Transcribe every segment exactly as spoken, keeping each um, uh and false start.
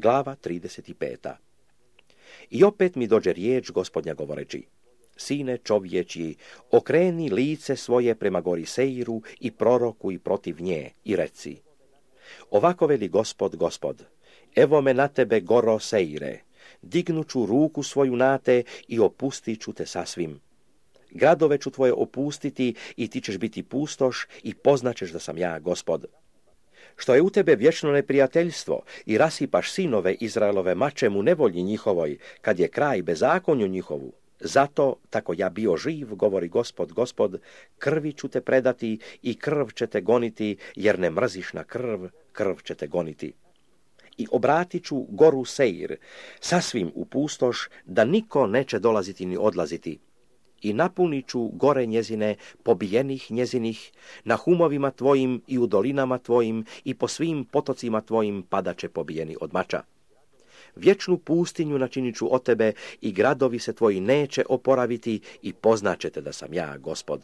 Glava trideset pet. I opet mi dođe riječ Gospodnja govoreći: Sine čovječji, okreni lice svoje prema gori Seiru i prorokuj protiv nje i reci: Ovako veli Gospod, Gospod, evo me na tebe, goro Seire, dignuću ruku svoju na te i opustit ću te sasvim. Gradove ću tvoje opustiti i ti ćeš biti pustoš i poznaćeš da sam ja Gospod. Što je u tebe vječno neprijateljstvo i rasipaš sinove Izraelove mačem u nevolji njihovoj, kad je kraj bezakonju njihovu, zato, tako ja bio živ, govori Gospod, Gospod, krvi ću te predati i krv će te goniti, jer ne mrziš na krv, krv će te goniti. I obratit ću goru Seir, sasvim u pustoš, da niko neće dolaziti ni odlaziti. I napunit ću gore njezine, pobijenih njezinih, na humovima tvojim i u dolinama tvojim i po svim potocima tvojim padaće pobijeni od mača. Vječnu pustinju načinit ću od tebe i gradovi se tvoji neće oporaviti i poznaćete da sam ja Gospod.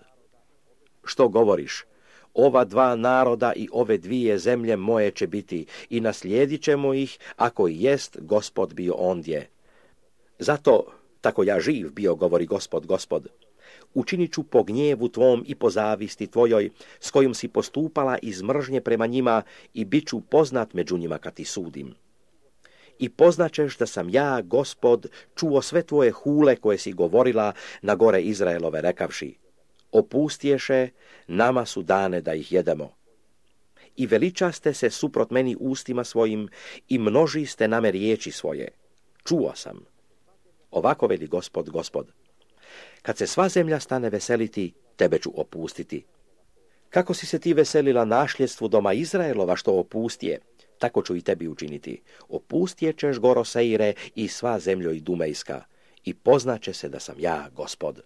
Što govoriš? Ova dva naroda i ove dvije zemlje moje će biti i naslijedit ćemo ih, ako i jest Gospod bio ondje. Zato, tako ja živ bio, govori Gospod, Gospod, učinit ću po gnjevu tvom i po zavisti tvojoj, s kojom si postupala iz mržnje prema njima, i bit ću poznat među njima kad ti sudim. I poznaćeš da sam ja, Gospod, čuo sve tvoje hule koje si govorila na gore Izraelove, rekavši: opustješe, nama su dane da ih jedemo. I veličaste se suprot meni ustima svojim i množiste na me riječi svoje. Čuo sam. Ovako veli Gospod, Gospod, kad se sva zemlja stane veseliti, tebe ću opustiti. Kako si se ti veselila našljedstvu doma Izraelova što opustije, tako ću i tebi učiniti. Opustjećeš, goro Seire, i sva zemljo i Dumejska, i poznaće se da sam ja Gospod.